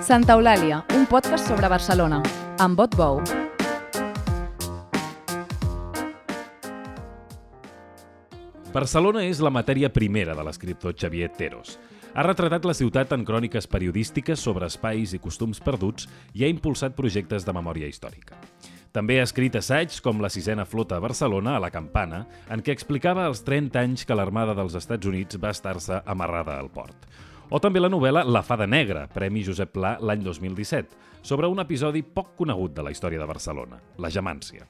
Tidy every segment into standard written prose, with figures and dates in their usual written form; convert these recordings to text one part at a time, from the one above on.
Santa Eulàlia, un podcast sobre Barcelona, amb Bot Bou. Barcelona és la matèria primera de l'escriptor Xavier Theros. Ha retratat la ciutat en cròniques periodístiques sobre espais i costums perduts i ha impulsat projectes de memòria històrica. També ha escrit assaigs com la sisena flota a Barcelona, a la Campana, en què explicava els 30 anys que l'Armada dels Estats Units va estar-se amarrada al port. O també la novel·la La Fada Negra, Premi Josep Pla l'any 2017, sobre un episodi poc conegut de la història de Barcelona, la Gemància.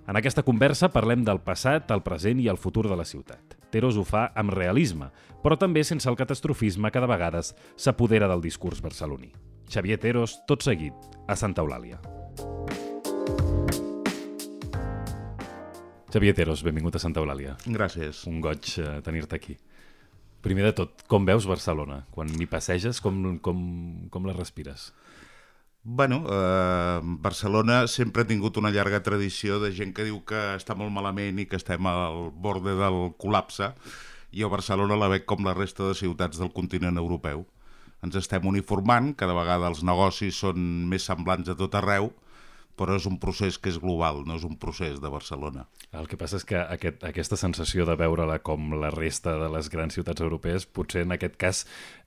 En aquesta conversa parlem del passat, el present i el futur de la ciutat. Theros ho fa amb realisme, però també sense el catastrofisme que de vegades s'apodera del discurs barceloní. Xavier Theros, tot seguit, a Santa Eulàlia. Xavier Theros, benvingut a Santa Eulàlia. Gràcies. Un goig tenir-te aquí. Primer de tot, com veus Barcelona? Quan hi passeges, com la respires? Bueno, Barcelona sempre ha tingut una llarga tradició de gent que diu que està molt malament i que estem al borde del col·lapse. Jo Barcelona la veig com la resta de ciutats del continent europeu. Ens estem uniformant, cada vegada els negocis són més semblants a tot arreu, però és un procés que és global, no és un procés de Barcelona. El que passa és que aquesta sensació de veure-la com la resta de les grans ciutats europees, potser en aquest cas,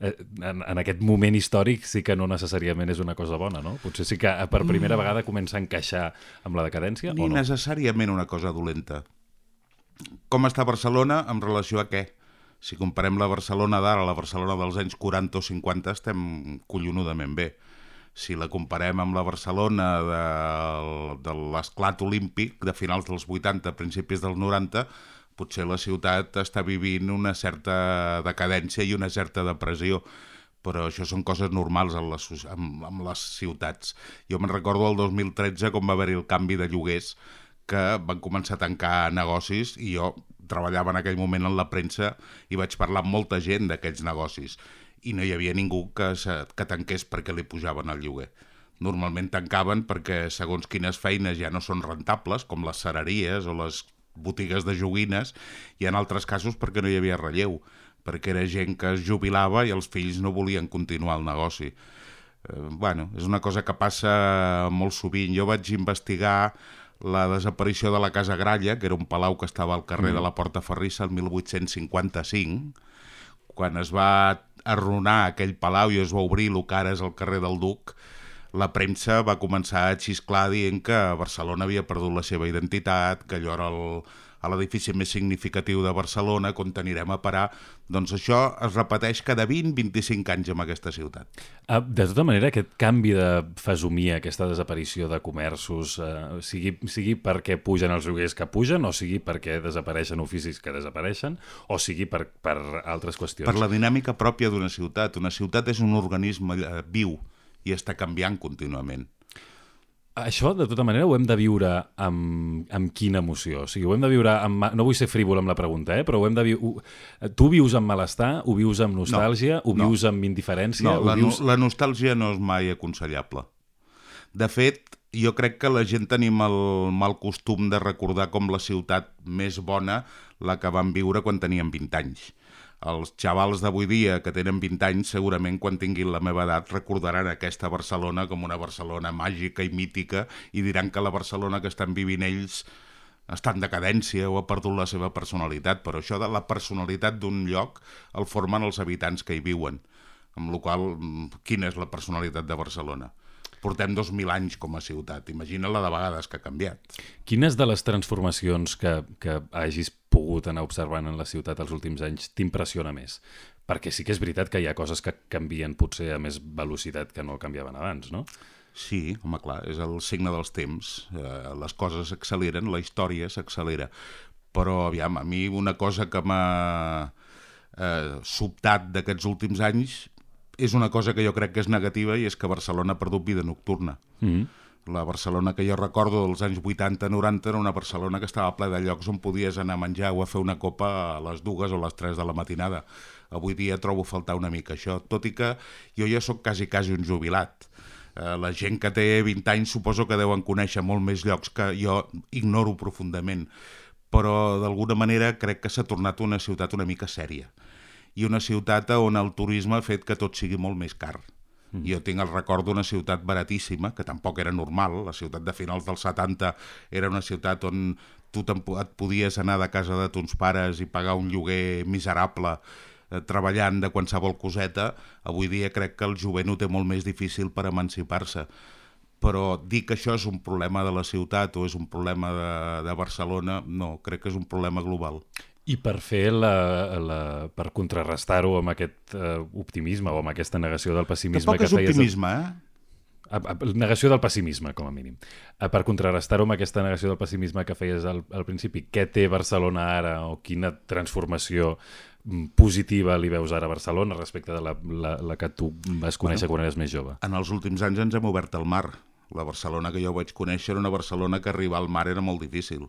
en aquest moment històric, sí que no necessàriament és una cosa bona, no? Potser sí que per primera vegada comença a encaixar amb la decadència, Ni o no? necessàriament una cosa dolenta. Com està Barcelona en relació a què? Si comparem la Barcelona d'ara a la Barcelona dels anys 40 o 50, estem collonudament bé. Si la comparem amb la Barcelona de l'esclat olímpic de finals dels 80, principis dels 90, potser la ciutat està vivint una certa decadència i una certa depressió, però això són coses normals amb les ciutats. Jo me'n recordo el 2013 com va haver-hi el canvi de lloguers, que van començar a tancar negocis i jo treballava en aquell moment en la premsa i vaig parlar amb molta gent d'aquells negocis. I no hi havia ningú que tanqués perquè li pujaven el lloguer. Normalment tancaven perquè segons quines feines ja no són rentables, com les cereries o les botigues de joguines, i en altres casos perquè no hi havia relleu, perquè era gent que es jubilava i els fills no volien continuar el negoci. És una cosa que passa molt sovint. Jo vaig investigar la desaparició de la Casa Gralla, que era un palau que estava al carrer de la Porta Ferrissa el 1855, quan es va arruïnar aquell palau i es va obrir el que ara és el carrer del Duc, la premsa va començar a xisclar dient que Barcelona havia perdut la seva identitat, que allò era l'edifici més significatiu de Barcelona, on anirem a parar. Doncs això es repeteix cada 20-25 anys en aquesta ciutat. De tota manera, aquest canvi de fesomia, aquesta desaparició de comerços, sigui perquè pugen els lloguers que pugen, o sigui perquè desapareixen oficis que desapareixen, o sigui per altres qüestions. Per la dinàmica pròpia d'una ciutat. Una ciutat és un organisme viu i està canviant contínuament. Això, de tota manera, ho hem de viure amb quina emoció? O sigui, ho hem de viure amb... No vull ser frívol amb la pregunta, però ho hem de viure... Tu vius amb malestar? Ho vius amb nostàlgia? Ho vius amb indiferència? No, la nostàlgia no és mai aconsellable. De fet, jo crec que la gent tenim el mal costum de recordar com la ciutat més bona la que vam viure quan teníem 20 anys. Els xavals d'avui dia que tenen 20 anys segurament quan tinguin la meva edat recordaran aquesta Barcelona com una Barcelona màgica i mítica i diran que la Barcelona que estan vivint ells està en decadència o ha perdut la seva personalitat, però això de la personalitat d'un lloc el formen els habitants que hi viuen, amb la qual cosa, quina és la personalitat de Barcelona? Portem 2.000 anys com a ciutat, imagina la de vegades que ha canviat. Quines de les transformacions que hagis pogut anar observant en la ciutat els últims anys t'impressiona més? Perquè sí que és veritat que hi ha coses que canvien potser a més velocitat que no canviaven abans, no? Sí, home, clar, és el signe dels temps. Les coses s'acceleren, la història s'accelera. Però, aviam, a mi una cosa que m'ha sobtat d'aquests últims anys és una cosa que jo crec que és negativa i és que Barcelona ha perdut vida nocturna. La Barcelona que jo recordo dels anys 80-90 era una Barcelona que estava ple de llocs on podies anar a menjar o a fer una copa a les 2 o les 3 de la matinada. Avui dia trobo a faltar una mica això, tot i que jo ja sóc quasi un jubilat. La gent que té 20 anys suposo que deuen conèixer molt més llocs que jo ignoro profundament, però d'alguna manera crec que s'ha tornat una ciutat una mica sèria. I una ciutat on el turisme ha fet que tot sigui molt més car. Jo tinc el record d'una ciutat baratíssima, que tampoc era normal. La ciutat de finals dels 70 era una ciutat on tu et podies anar de casa de tons pares i pagar un lloguer miserable treballant de qualsevol coseta. Avui dia crec que el jovent ho té molt més difícil per emancipar-se. Però dir que això és un problema de la ciutat o és un problema de Barcelona, no, crec que és un problema global. I per fer per contrarrestar-ho amb aquest optimisme o amb aquesta negació del pessimisme Tampoc és optimisme, Negació del pessimisme, com a mínim. Per contrarrestar-ho amb aquesta negació del pessimisme que feies al principi, què té Barcelona ara o quina transformació positiva li veus ara a Barcelona respecte de la que tu vas conèixer quan eres més jove? En els últims anys ens hem obert al mar. La Barcelona que jo vaig conèixer era una Barcelona que arribar al mar era molt difícil.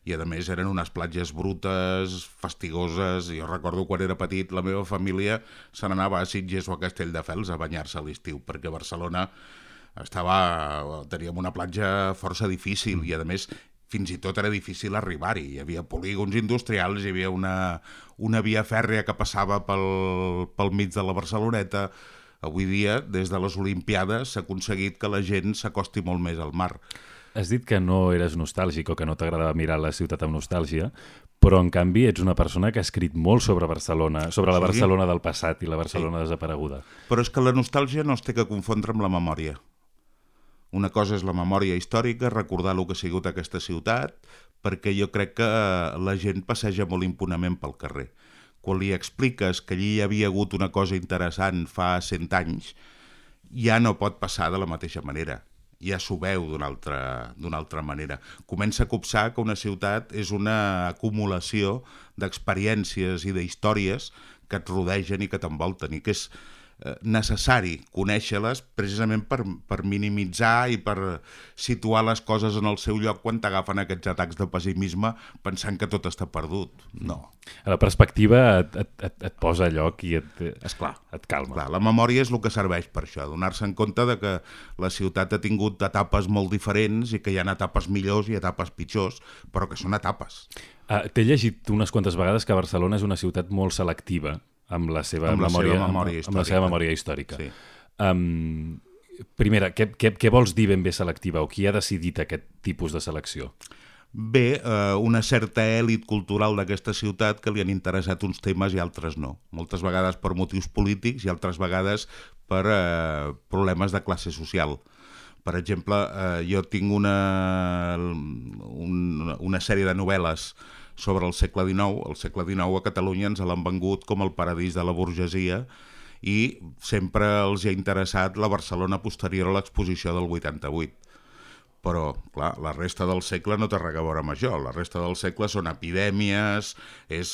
I a més eren unes platges brutes, fastigoses. Jo recordo quan era petit la meva família se n'anava a Sitges o a Castelldefels a banyar-se a l'estiu, perquè a Barcelona teníem una platja força difícil i a més fins i tot era difícil arribar-hi. Hi havia polígons industrials, hi havia una via fèrria que passava pel mig de la Barceloneta. Avui dia, des de les Olimpiades, s'ha aconseguit que la gent s'acosti molt més al mar. Has dit que no eres nostàlgic o que no t'agradava mirar la ciutat amb nostàlgia, però en canvi ets una persona que ha escrit molt sobre Barcelona, sobre la Barcelona del passat i la Barcelona desapareguda. Però és que la nostàlgia no es té que confondre amb la memòria. Una cosa és la memòria històrica, recordar el que ha sigut aquesta ciutat, perquè jo crec que la gent passeja molt impunament pel carrer. Quan li expliques que allí hi havia hagut una cosa interessant fa 100 anys, ja no pot passar de la mateixa manera. Ja s'ho veu d'una altra manera. Comença a copsar que una ciutat és una acumulació d'experiències i d'històries que et rodegen i que t'envolten, i que és necessari conèixer-les precisament per minimitzar i per situar les coses en el seu lloc quan t'agafen aquests atacs de pessimisme pensant que tot està perdut. No. La perspectiva et posa a lloc i et calma. Clar, la memòria és el que serveix per això, donar-se en compte de que la ciutat ha tingut etapes molt diferents i que hi ha etapes millors i etapes pitjors, però que són etapes. T'he llegit unes quantes vegades que Barcelona és una ciutat molt selectiva amb la seva memòria històrica. Sí. Primera, què vols dir ben bé selectiva o qui ha decidit aquest tipus de selecció? Bé, una certa èlit cultural d'aquesta ciutat que li han interessat uns temes i altres no. Moltes vegades per motius polítics i altres vegades per problemes de classe social. Per exemple, jo tinc una sèrie de novel·les sobre el segle XIX. El segle XIX a Catalunya ens l'han vengut com el paradís de la burgesia i sempre els ha interessat la Barcelona posterior a l'exposició del 88. Però, clar, la resta del segle no té res a veure amb això. La resta del segle són epidèmies, és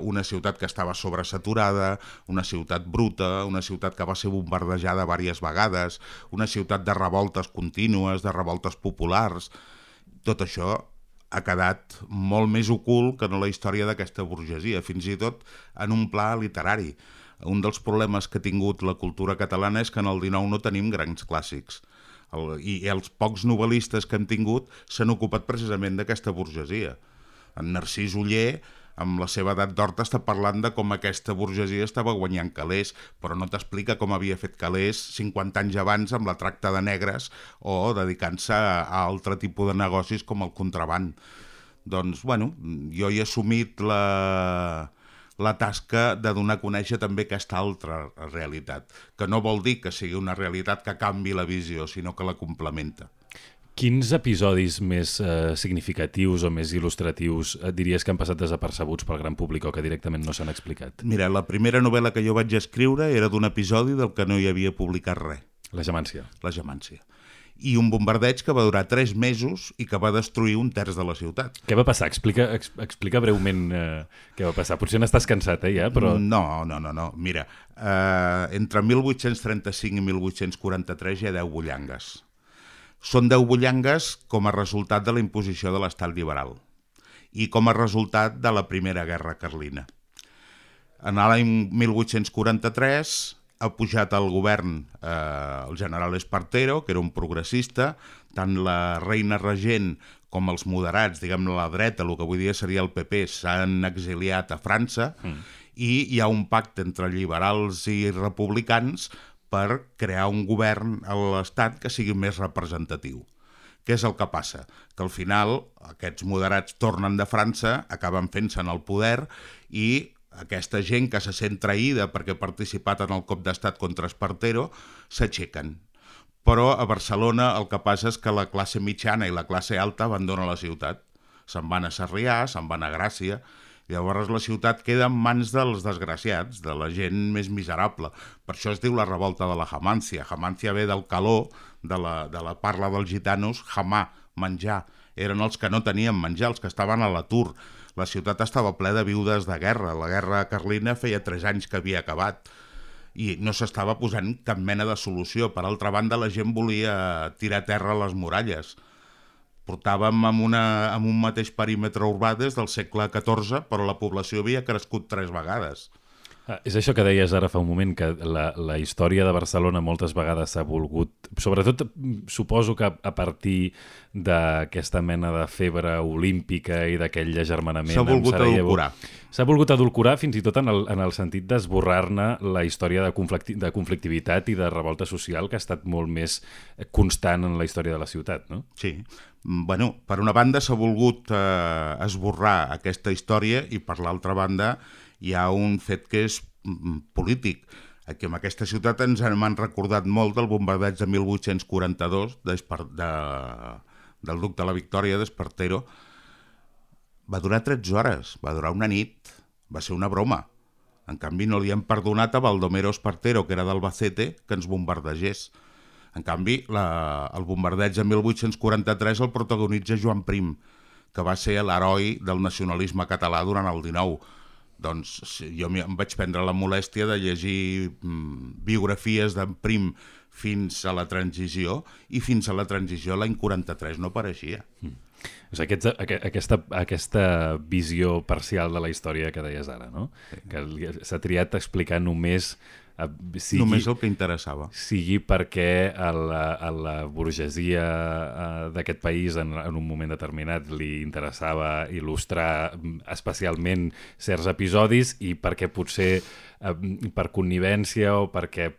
una ciutat que estava sobresaturada, una ciutat bruta, una ciutat que va ser bombardejada diverses vegades, una ciutat de revoltes contínues, de revoltes populars. Tot això ha quedat molt més ocult que no la història d'aquesta burgesia, fins i tot en un pla literari. Un dels problemes que ha tingut la cultura catalana és que en el XIX no tenim grans clàssics. I els pocs novel·listes que hem tingut s'han ocupat precisament d'aquesta burgesia. En Narcís Oller, amb la seva edat d'or, està parlant de com aquesta burgesia estava guanyant calés, però no t'explica com havia fet calés 50 anys abans amb la tracta de negres o dedicant-se a altre tipus de negocis com el contraband. Doncs, bueno, jo he assumit la tasca de donar a conèixer també aquesta altra realitat, que no vol dir que sigui una realitat que canvi la visió, sinó que la complementa. Quins episodis més significatius o més il·lustratius diries que han passat desapercebuts pel gran públic o que directament no s'han explicat? Mira, la primera novel·la que jo vaig escriure era d'un episodi del que no hi havia publicat res. La Gemància. La Gemància. I un bombardeig que va durar 3 mesos i que va destruir 1/3 de la ciutat. Què va passar? Explica breument què va passar. Potser n'estàs cansat, ja, però... No. Mira, entre 1835 i 1843 hi ha 10 bullangues. Són 10 bullangues com a resultat de la imposició de l'estat liberal i com a resultat de la Primera Guerra Carlina. En l'any 1843 ha pujat al govern el general Espartero, que era un progressista, tant la reina regent com els moderats, diguem-ne la dreta, el que avui dia seria el PP, s'han exiliat a França i hi ha un pacte entre liberals i republicans per crear un govern a l'Estat que sigui més representatiu. Què és el que passa? Que al final aquests moderats tornen de França, acaben fent-se en el poder i aquesta gent que se sent traïda perquè ha participat en el cop d'estat contra Espartero s'aixequen. Però a Barcelona el que passa és que la classe mitjana i la classe alta abandonen la ciutat. Se'n van a Sarrià, se'n van a Gràcia. Llavors la ciutat queda en mans dels desgraciats, de la gent més miserable. Per això es diu la revolta de la Jamancia. Jamancia ve del caló de la parla dels gitanos, jamà, menjar. Eren els que no tenien menjar, els que estaven a l'atur. La ciutat estava plena de viudes de guerra. La guerra carlina feia 3 anys que havia acabat i no s'estava posant cap mena de solució. Per altra banda, la gent volia tirar a terra les muralles. Portàvem amb un mateix perímetre urbà des del segle XIV, però la població havia crescut 3 vegades. És això que deies ara fa un moment, que la història de Barcelona moltes vegades s'ha volgut, sobretot suposo que a partir d'aquesta mena de febre olímpica i d'aquell agermanament... S'ha volgut edulcorar. S'ha volgut edulcorar fins i tot en el sentit d'esborrar-ne la història de conflictivitat i de revolta social que ha estat molt més constant en la història de la ciutat, no? Sí. Bueno, per una banda s'ha volgut esborrar aquesta història i per l'altra banda hi ha un fet que és polític. Aquí en aquesta ciutat ens han recordat molt del bombardeig de 1842 del duc de la Victòria, d'Espartero. Va durar 13 hores, va durar una nit, va ser una broma. En canvi no li han perdonat a Baldomero Espartero, que era d'Albacete, que ens bombardegés. En canvi, el bombardeig de 1843 el protagonitza Joan Prim, que va ser l'heroi del nacionalisme català durant el XIX. Doncs jo em vaig prendre la molèstia de llegir biografies d'en Prim fins a la transició, i fins a la transició l'any 43 no apareixia. Aquesta visió parcial de la història que deies ara, no? Que s'ha triat a explicar només el que interessava. Sigui perquè a la burgesia d'aquest país en un moment determinat li interessava il·lustrar especialment certs episodis i perquè potser per connivència o perquè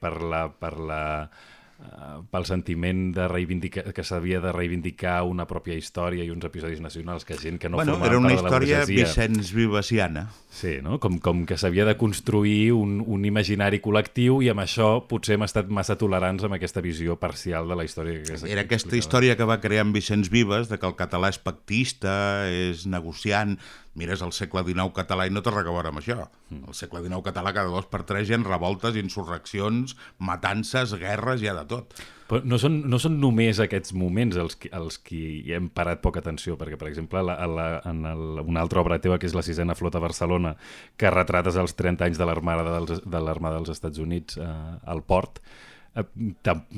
pel sentiment que s'havia de reivindicar una pròpia història i uns episodis nacionals que gent que no formaven part de la burgesia... Era una història Vicenç Vivasiana. Sí, no? Com que s'havia de construir un imaginari col·lectiu i amb això potser hem estat massa tolerants amb aquesta visió parcial de la història. Era aquesta història que va crear en Vicenç Vives, de que el català és pactista, és negociant... Mires el segle XIX català i no té res a veure amb això. El segle XIX català cada 2 per 3 hi ha revoltes, insurreccions, matances, guerres, hi ha de tot. Però no són només aquests moments els que hi hem parat poca atenció, perquè, per exemple, en una altra obra teva, que és la 6a Flota a Barcelona, que retrates els 30 anys de l'Armada dels Estats Units al port,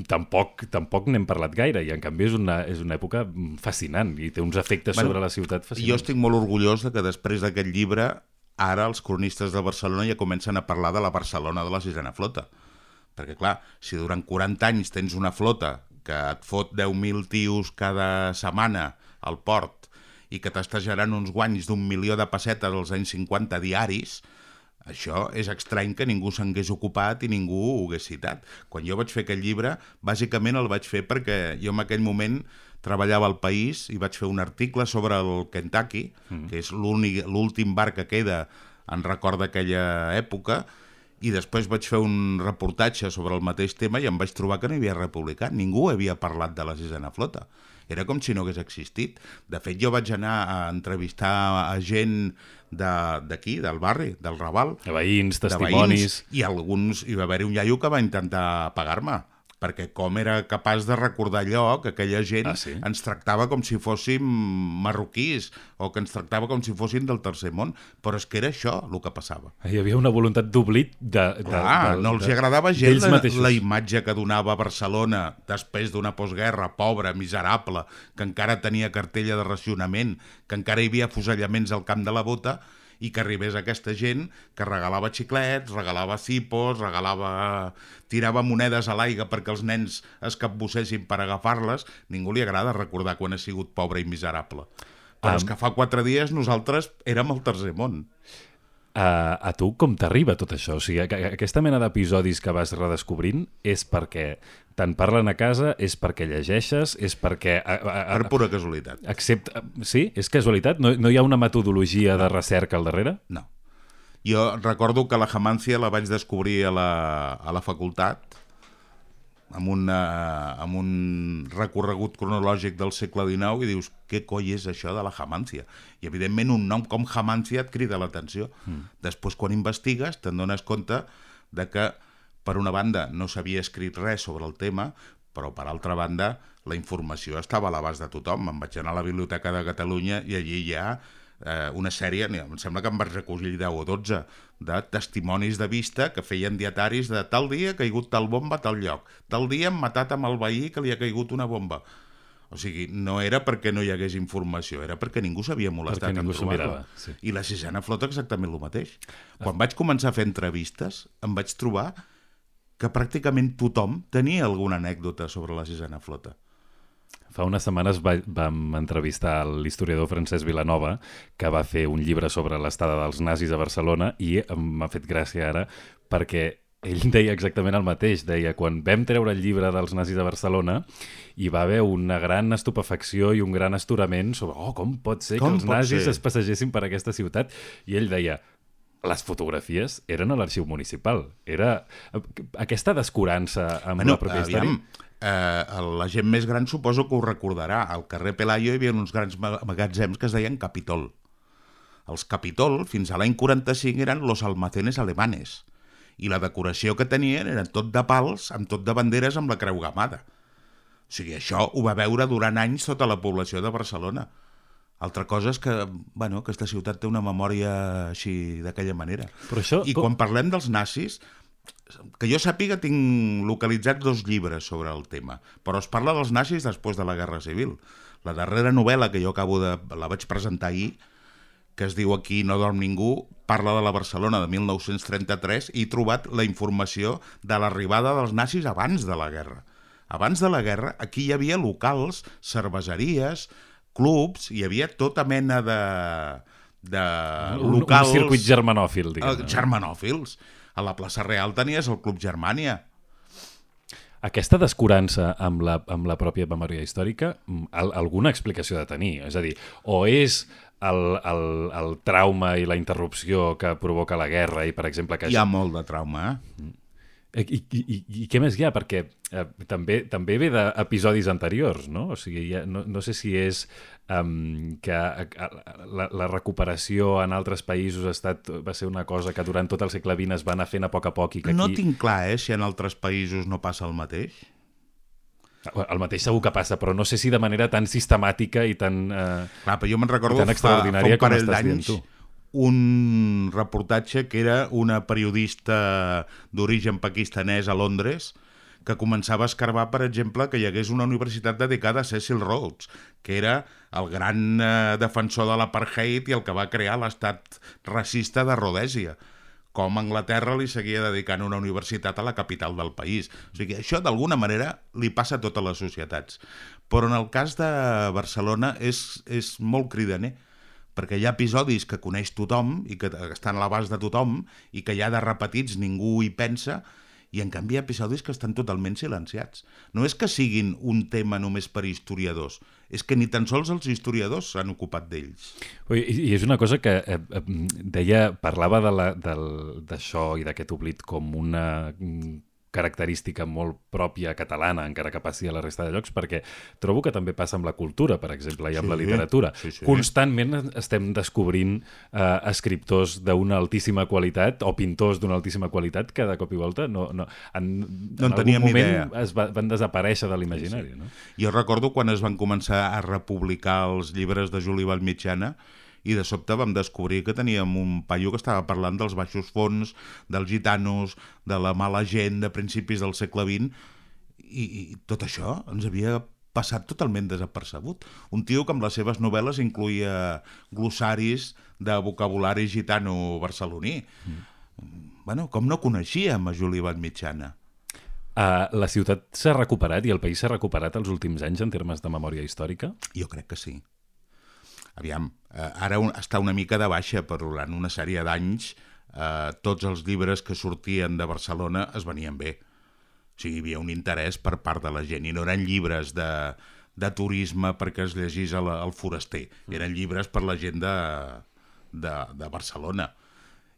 tampoc n'hem parlat gaire, i en canvi és una època fascinant i té uns efectes sobre la ciutat fascinants. Jo estic molt orgullós de que després d'aquest llibre ara els cronistes de Barcelona ja comencen a parlar de la Barcelona de la 6a Flota, perquè clar, si durant 40 anys tens una flota que et fot 10.000 tios cada setmana al port i que t'està generant uns guanys d'1 milió de pessetes als anys 50 diaris, això és estrany que ningú s'hagués ocupat i ningú ho hagués citat. Quan jo vaig fer aquest llibre, bàsicament el vaig fer perquè jo en aquell moment treballava al País i vaig fer un article sobre el Kentucky, que és l'últim bar que queda en record d'aquella època, i després vaig fer un reportatge sobre el mateix tema i em vaig trobar que no hi havia republicà. Ningú havia parlat de la 6a Flota. Era com si no hagués existit. De fet, jo vaig anar a entrevistar a gent d'aquí, del barri, del Raval. De veïns, testimonis... I hi va haver un iaio que va intentar pagar-me, perquè com era capaç de recordar allò, que aquella gent ens tractava com si fóssim marroquís, o que ens tractava com si fóssim del tercer món, però és que era això el que passava. Hi havia una voluntat d'oblit no els agradava gens la imatge que donava Barcelona després d'una postguerra, pobra, miserable, que encara tenia cartella de racionament, que encara hi havia afusellaments al Camp de la Bota, i que arribés aquesta gent que regalava xiclets, regalava cipos, tirava monedes a l'aigua perquè els nens es capbussessin per agafar-les. Ningú li agrada recordar quan ha sigut pobre i miserable. Però és que fa 4 dies nosaltres érem al tercer món. A tu com t'arriba tot això? O sigui, aquesta mena d'episodis que vas redescobrint és perquè te'n parlen a casa, és perquè llegeixes, és perquè... Per pura casualitat. Sí? És casualitat? No hi ha una metodologia de recerca al darrere? No. Jo recordo que la Jamància la vaig descobrir a la facultat amb un recorregut cronològic del segle XIX i dius, què coi és això de la Jamància? I evidentment un nom com Jamància et crida l'atenció. Després quan investigues te'n dones compte de que per una banda no s'havia escrit res sobre el tema, però per altra banda la informació estava a l'abast de tothom. Em vaig anar a la Biblioteca de Catalunya i allí hi ha una sèrie, em sembla que em vaig recollir 10 o 12, de testimonis de vista que feien dietaris de tal dia ha caigut tal bomba a tal lloc, tal dia han matat amb el veí que li ha caigut una bomba. O sigui, no era perquè no hi hagués informació, era perquè ningú s'havia molestat en trobar-la. Sí. I la sisena flota exactament el mateix. Quan vaig començar a fer entrevistes, em vaig trobar que pràcticament tothom tenia alguna anècdota sobre la sisena flota. Fa unes setmanes vam entrevistar l'historiador Francesc Vilanova, que va fer un llibre sobre l'estada dels nazis a Barcelona, i m'ha fet gràcia ara perquè ell deia exactament el mateix. Deia, quan vam treure el llibre dels nazis a Barcelona, hi va haver una gran estupefacció i un gran astorament sobre com pot ser que els nazis es passegessin per aquesta ciutat. I ell deia, les fotografies eren a l'arxiu municipal. Era aquesta descurança amb la pròpia història. La gent més gran suposo que ho recordarà. Al carrer Pelayo hi havia uns grans magatzems que es deien Capitol. Els Capitol, fins a l'any 45, eren los almacenes alemanes. I la decoració que tenien eren tot de pals, amb tot de banderes amb la creu gamada. O sigui, això ho va veure durant anys tota la població de Barcelona. Altra cosa és que, aquesta ciutat té una memòria així, d'aquella manera. Però això... I quan parlem dels nazis, que jo sàpiga, tinc localitzats 2 llibres sobre el tema, però es parla dels nazis després de la Guerra Civil. La darrera novel·la que jo la vaig presentar ahir, que es diu Aquí no dorm ningú, parla de la Barcelona de 1933 i he trobat la informació de l'arribada dels nazis abans de la guerra. Abans de la guerra, aquí hi havia locals, cerveseries, clubs, hi havia tota mena de locals... Un circuit germanòfil, diguem. Germanòfils. A la plaça Real tenies el Club Germània. Aquesta descurança amb la pròpia memòria històrica, alguna explicació de tenir? És a dir, o és el trauma i la interrupció que provoca la guerra i, per exemple... Hi ha molt de trauma, I què més hi ha? Perquè també ve d'episodis anteriors, no? O sigui, no sé si és que la recuperació en altres països va ser una cosa que durant tot el segle XX es va anar fent a poc i que aquí... No tinc clar, si en altres països no passa el mateix. El mateix segur que passa, però no sé si de manera tan sistemàtica i tan clar, però jo me'n recordo fa un parell d'anys un reportatge que era una periodista d'origen pakistanès a Londres que començava a escarbar, per exemple, que hi hagués una universitat dedicada a Cecil Rhodes, que era el gran defensor de l'apartheid i el que va crear l'estat racista de Rhodèsia. Com Anglaterra li seguia dedicant una universitat a la capital del país. O sigui, això d'alguna manera li passa a totes les societats. Però en el cas de Barcelona és molt cridaner, perquè hi ha episodis que coneix tothom i que estan a l'abast de tothom i que ja de repetits ningú hi pensa, i en canvi hi ha episodis que estan totalment silenciats. No és que siguin un tema només per historiadors, és que ni tan sols els historiadors s'han ocupat d'ells. I és una cosa que parlava d'això i d'aquest oblit com una característica molt pròpia catalana, encara que passi a la resta de llocs, perquè trobo que també passa amb la cultura, per exemple, i amb la literatura. Sí. Constantment estem descobrint escriptors d'una altíssima qualitat o pintors d'una altíssima qualitat que de cop i volta en algun moment van desaparèixer de l'imaginari. No? Jo recordo quan es van començar a republicar els llibres de Juli Vallmitjana i de sobte vam descobrir que teníem un paio que estava parlant dels baixos fons, dels gitanos, de la mala gent de principis del segle XX, i tot això ens havia passat totalment desapercebut. Un tio que amb les seves novel·les incluïa glossaris de vocabulari gitano barceloní. Com no coneixíem a Juli Vallmitjana? La ciutat s'ha recuperat i el país s'ha recuperat els últims anys en termes de memòria històrica? Jo crec que sí. Aviam, ara està una mica de baixa, però durant una sèrie d'anys tots els llibres que sortien de Barcelona es venien bé. O sigui, hi havia un interès per part de la gent, i no eren llibres de turisme perquè es llegís al foraster, eren llibres per la gent de Barcelona.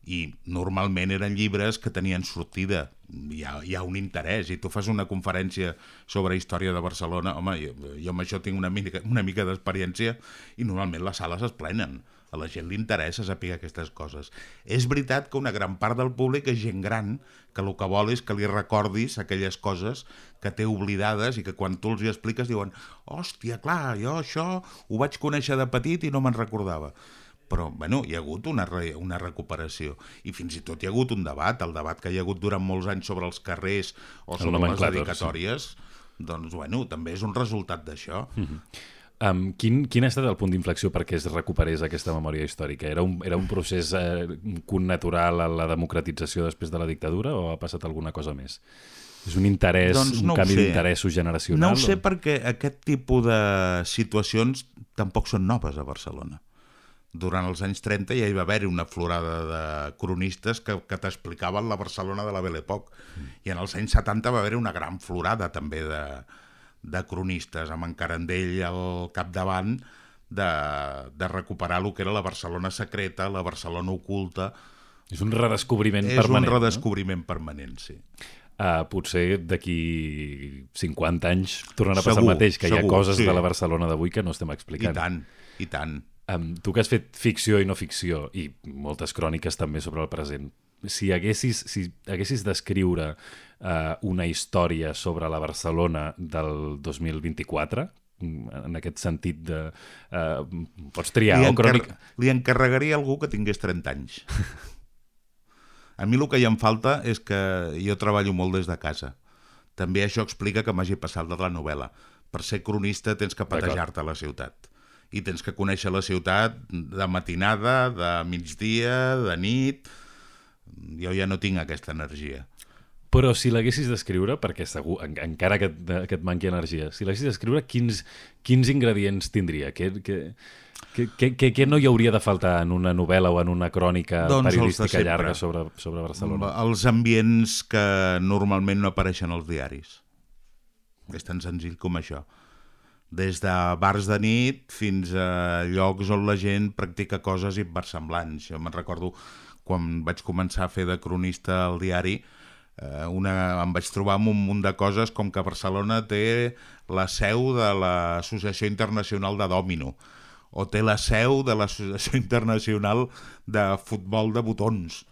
I normalment eren llibres que tenien sortida, hi ha un interès, i tu fas una conferència sobre història de Barcelona, home, jo amb això tinc una mica d'experiència, i normalment les sales es plenen, a la gent li interessa saber aquestes coses. És veritat que una gran part del públic és gent gran, que el que vol és que li recordis aquelles coses que té oblidades i que quan tu els hi expliques diuen hòstia, clar, jo això ho vaig conèixer de petit i no me'n recordava. Però, bueno, hi ha hagut una recuperació, i fins i tot hi ha hagut un debat, el debat que hi ha hagut durant molts anys sobre els carrers o sobre les dedicatòries, doncs, bueno, també és un resultat d'això. Quin ha estat el punt d'inflexió perquè es recuperés aquesta memòria històrica? Era un procés connatural a la democratització després de la dictadura, o ha passat alguna cosa més? És un interès, un canvi d'interessos generacional? No ho sé, perquè aquest tipus de situacions tampoc són noves a Barcelona. Durant els anys 30 ja hi va haver una florada de cronistes que t'explicaven la Barcelona de la Belle Époque. I en els anys 70 va haver una gran florada també de cronistes, amb en Carandell al capdavant, de recuperar el que era la Barcelona secreta, la Barcelona oculta. És un redescobriment permanent. És un redescobriment permanent, sí. Potser d'aquí 50 anys tornarà a passar el mateix, que hi ha coses de la Barcelona d'avui que no estem explicant. I tant. Tu que has fet ficció i no ficció, i moltes cròniques també sobre el present, si haguessis d'escriure una història sobre la Barcelona del 2024, en aquest sentit de... pots triar o crònica... Li encarregaria a algú que tingués 30 anys. A mi el que hi em falta és que jo treballo molt des de casa. També això explica que m'hagi passat de la novel·la. Per ser cronista tens que patejar-te a la ciutat. I tens que conèixer la ciutat de matinada, de migdia, de nit. Jo ja no tinc aquesta energia. Però si l'haguessis d'escriure, perquè segur, encara que et manqui energia, si l'haguessis d'escriure, quins ingredients tindria? Què no hi hauria de faltar en una novel·la o en una crònica periodística llarga sobre Barcelona? Els ambients que normalment no apareixen als diaris. És tan senzill com això. Des de bars de nit fins a llocs on la gent practica coses inversemblants. Jo me'n recordo quan vaig començar a fer de cronista al diari, em vaig trobar amb un munt de coses com que Barcelona té la seu de l'Associació Internacional de Dòmino, o té la seu de l'Associació Internacional de Futbol de Botons.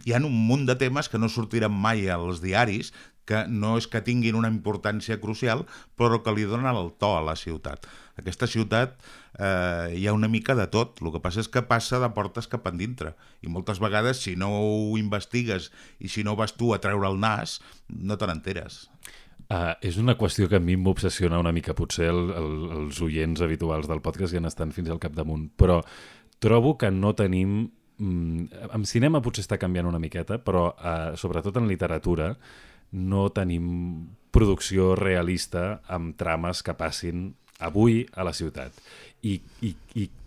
Hi ha un munt de temes que no sortiran mai als diaris, que no és que tinguin una importància crucial, però que li donen el to a la ciutat. Aquesta ciutat hi ha una mica de tot, el que passa és que passa de portes cap endintre, i moltes vegades si no ho investigues i si no vas tu a treure el nas, no te n'enteres. És una qüestió que a mi m'obsessiona una mica, potser els oients habituals del podcast ja n'estan fins al capdamunt, però trobo que no tenim... En cinema potser està canviant una miqueta, però sobretot en literatura no tenim producció realista amb trames que passin avui a la ciutat. I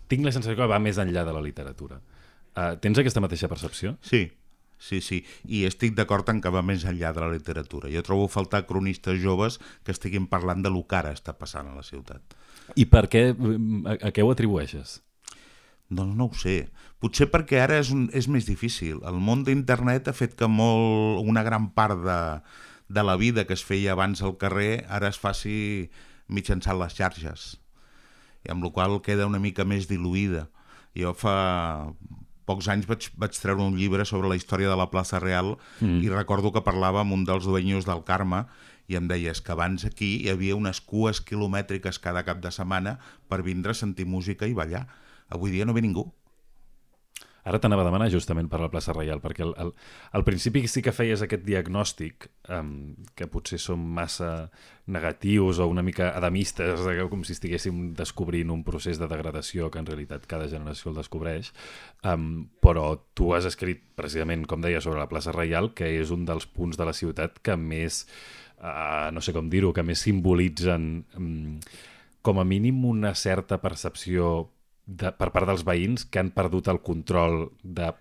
tinc la sensació que va més enllà de la literatura. Tens aquesta mateixa percepció? Sí. I estic d'acord en que va més enllà de la literatura. Jo trobo a faltar cronistes joves que estiguin parlant de lo que ara està passant a la ciutat. I per què? A què ho atribueixes? Doncs no ho sé. Potser perquè ara és més difícil. El món d'internet ha fet que una gran part de la vida que es feia abans al carrer ara es faci mitjançant les xarxes. I amb la qual cosa queda una mica més diluïda. Jo fa pocs anys vaig treure un llibre sobre la història de la plaça Real i recordo que parlava amb un dels dueños del Carme i em deies que abans aquí hi havia unes cues quilomètriques cada cap de setmana per vindre a sentir música i ballar. Avui dia no ve ningú. Ara t'anava a demanar justament per la plaça Reial, perquè al principi sí que feies aquest diagnòstic, que potser són massa negatius o una mica adamistes, com si estiguéssim descobrint un procés de degradació que en realitat cada generació el descobreix, però tu has escrit precisament, com deia, sobre la plaça Reial, que és un dels punts de la ciutat que més, no sé com dir-ho, que més simbolitzen com a mínim una certa percepció per part dels veïns que han perdut el control de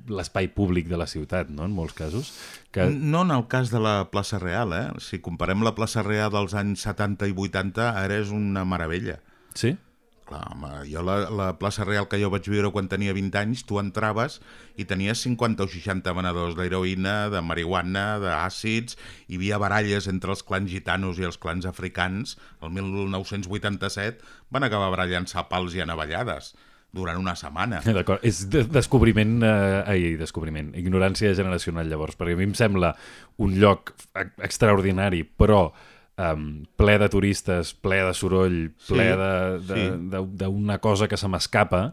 l'espai públic de la ciutat, no?, en molts casos. No en el cas de la plaça Real, eh? Si comparem la plaça Real dels anys 70 i 80, ara és una meravella. Sí? Clar, home, jo la plaça Real que jo vaig viure quan tenia 20 anys, tu entraves i tenies 50 o 60 venedors d'heroïna, de marihuana, d'àcids, hi havia baralles entre els clans gitanos i els clans africans. El 1987 van acabar barallant-se a pals i a navallades durant una setmana. D'acord, és descobriment, ignorància generacional llavors, perquè a mi em sembla un lloc extraordinari, però ple de turistes, ple de soroll, ple d'una cosa que se m'escapa,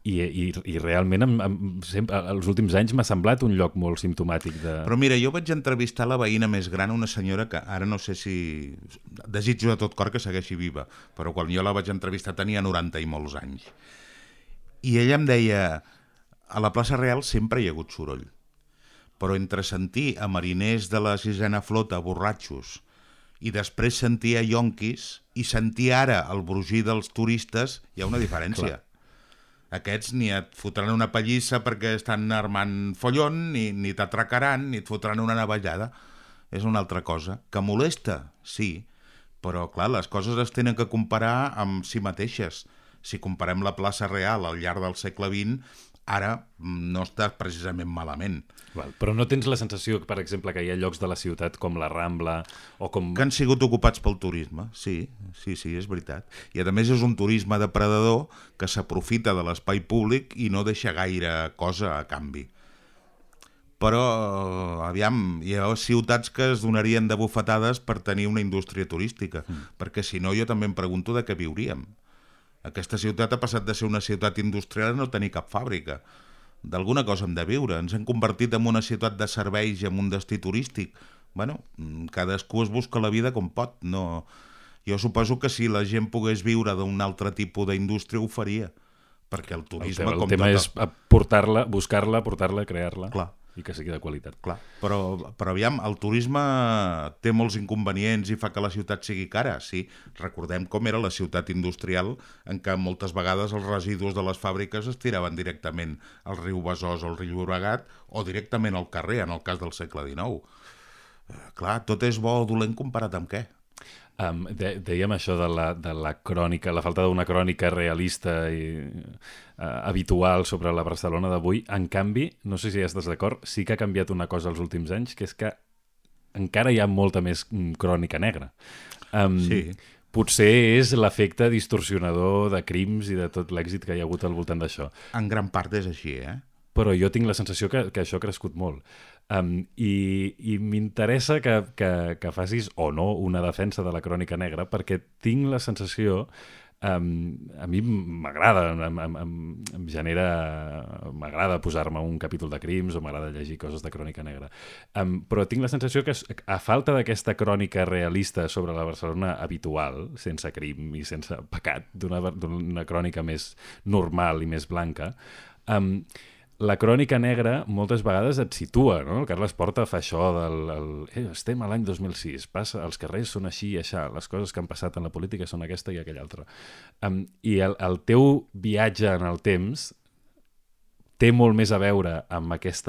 i realment els últims anys m'ha semblat un lloc molt simptomàtic de... Però mira, jo vaig entrevistar la veïna més gran, una senyora que ara no sé si... Desitjo de tot cor que segueixi viva, però quan jo la vaig entrevistar tenia 90 i molts anys. I ella em deia, a la plaça Real sempre hi ha hagut soroll, però entre sentir a mariners de la sisena flota borratxos i després sentir a ionquis i sentir ara el brugir dels turistes, hi ha una diferència. Clar. Aquests ni et fotran una pallissa perquè estan armant follon, ni t'atracaran, ni et fotran una navallada. És una altra cosa. Que molesta? Sí. Però, clar, les coses es tenen que comparar amb si mateixes. Si comparem la plaça Real al llarg del segle XX, ara no està precisament malament. Però no tens la sensació, per exemple, que hi ha llocs de la ciutat com la Rambla o com... Que han sigut ocupats pel turisme, sí, és veritat. I a més és un turisme depredador que s'aprofita de l'espai públic i no deixa gaire cosa a canvi. Però, aviam, hi ha ciutats que es donarien de bufetades per tenir una indústria turística, perquè si no jo també em pregunto de què viuríem. Aquesta ciutat ha passat de ser una ciutat industrial a no tenir cap fàbrica. D'alguna cosa hem de viure. Ens hem convertit en una ciutat de serveis i en un destí turístic. Bueno, cadascú es busca la vida com pot. No... Jo suposo que si la gent pogués viure d'un altre tipus d'indústria ho faria. Perquè el turisme... El tema és portar-la, buscar-la, portar-la, crear-la. Clar. I que sigui de qualitat. Clar, però aviam, el turisme té molts inconvenients i fa que la ciutat sigui cara, sí. Recordem com era la ciutat industrial en què moltes vegades els residus de les fàbriques es tiraven directament al riu Besòs o al riu Llobregat o directament al carrer, en el cas del segle XIX. Clar, tot és bo o dolent comparat amb què? Dèiem això de la crònica, la falta d'una crònica realista i habitual sobre la Barcelona d'avui. En canvi, no sé si estàs d'acord, sí que ha canviat una cosa els últims anys, que és que encara hi ha molta més crònica negra. Sí. Potser és l'efecte distorsionador de crims i de tot l'èxit que hi ha hagut al voltant d'això. En gran part és així, eh? Però jo tinc la sensació que això ha crescut molt. I m'interessa que facis o no una defensa de la crònica negra, perquè tinc la sensació, a mi m'agrada, em genera, m'agrada posar-me un capítol de crims o m'agrada llegir coses de crònica negra, però tinc la sensació que a falta d'aquesta crònica realista sobre la Barcelona habitual, sense crim i sense pecat, d'una crònica més normal i més blanca, la crònica negra moltes vegades et situa, no? El Carles Porta fa això estem a l'any 2006, els carrers són així i aixà, les coses que han passat en la política són aquesta i aquella altra. I el teu viatge en el temps té molt més a veure amb aquest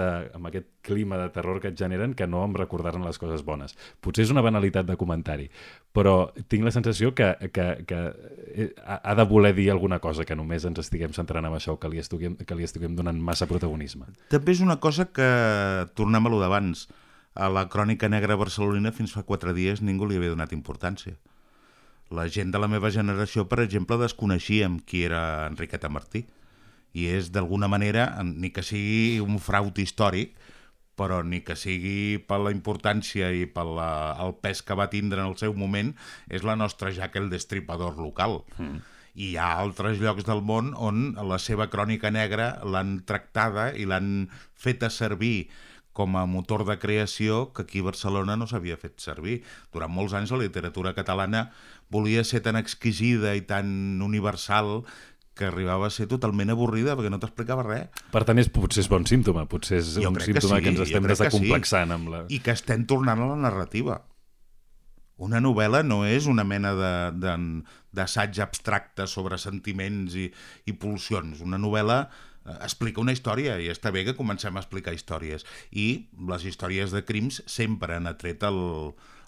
clima de terror que et generen que no amb recordar-ne les coses bones. Potser és una banalitat de comentari, però tinc la sensació que ha de voler dir alguna cosa, que només ens estiguem centrant en això, que li estiguem donant massa protagonisme. També és una cosa que, tornem a lo d'abans, a la crònica negra barcelonina fins fa 4 dies ningú li havia donat importància. La gent de la meva generació, per exemple, desconeixíem qui era Enriqueta Martí. I és, d'alguna manera, ni que sigui un fraud històric, però ni que sigui per la importància i per el pes que va tindre en el seu moment, és la nostra Jack el Destripador local. I hi ha altres llocs del món on la seva crònica negra l'han tractada i l'han feta servir com a motor de creació que aquí a Barcelona no s'havia fet servir. Durant molts anys la literatura catalana volia ser tan exquisida i tan universal que arribava a ser totalment avorrida perquè no t'explicava res. Per tant, potser és bon símptoma. Potser és un símptoma que ens estem desacomplexant amb la... I que estem tornant a la narrativa. Una novel·la no és una mena d'assaig abstracte sobre sentiments i pulsions. Una novel·la explica una història i està bé que comencem a explicar històries. I les històries de crims sempre han atret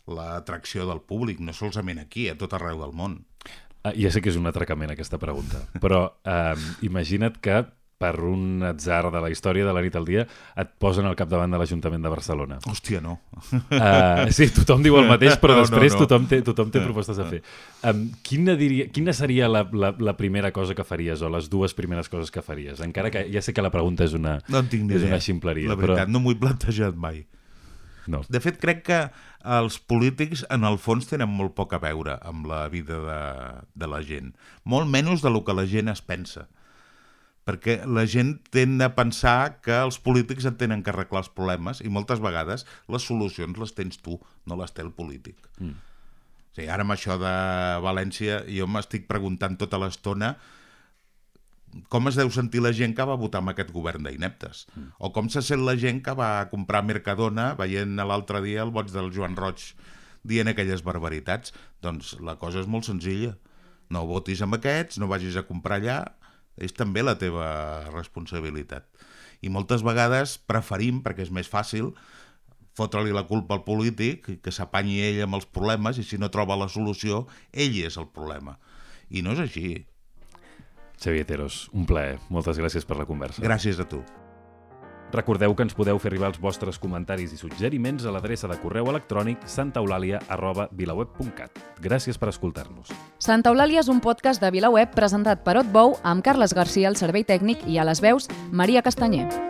l'atracció del públic, no solament aquí, a tot arreu del món. Ja sé que és un atracament aquesta pregunta, però imagina't que per un atzar de la història de la nit al dia et posen al capdavant de l'Ajuntament de Barcelona. Hòstia, no. Sí, tothom diu el mateix, però després tothom té propostes a fer. Quina seria la primera cosa que faries o les dues primeres coses que faries? Encara que ja sé que la pregunta és una ximpleria. La veritat, no m'ho he plantejat mai. No. De fet, crec que els polítics, en el fons, tenen molt poc a veure amb la vida de la gent. Molt menys del que la gent es pensa. Perquè la gent tend a pensar que els polítics en tenen que arreglar els problemes i moltes vegades les solucions les tens tu, no les té el polític. O sigui, ara amb això de València jo m'estic preguntant tota l'estona com es deu sentir la gent que va votar amb aquest govern d'ineptes? O com se sent la gent que va comprar Mercadona veient l'altre dia el boig del Joan Roig dient aquelles barbaritats? Doncs la cosa és molt senzilla. No votis amb aquests, no vagis a comprar allà, és també la teva responsabilitat. I moltes vegades preferim, perquè és més fàcil, fotre-li la culpa al polític, que s'apanyi ell amb els problemes i si no troba la solució, ell és el problema. I no és així. Xavier Theros, un plaer. Moltes gràcies per la conversa. Gràcies a tu. Recordeu que ens podeu fer arribar els vostres comentaris i suggeriments a l'adreça de correu electrònic santaeulàlia@vilaweb.cat. Gràcies per escoltar-nos. Santa Eulàlia és un podcast de VilaWeb presentat per Otbou amb Carles Garcia al servei tècnic i a les veus Maria Castanyer.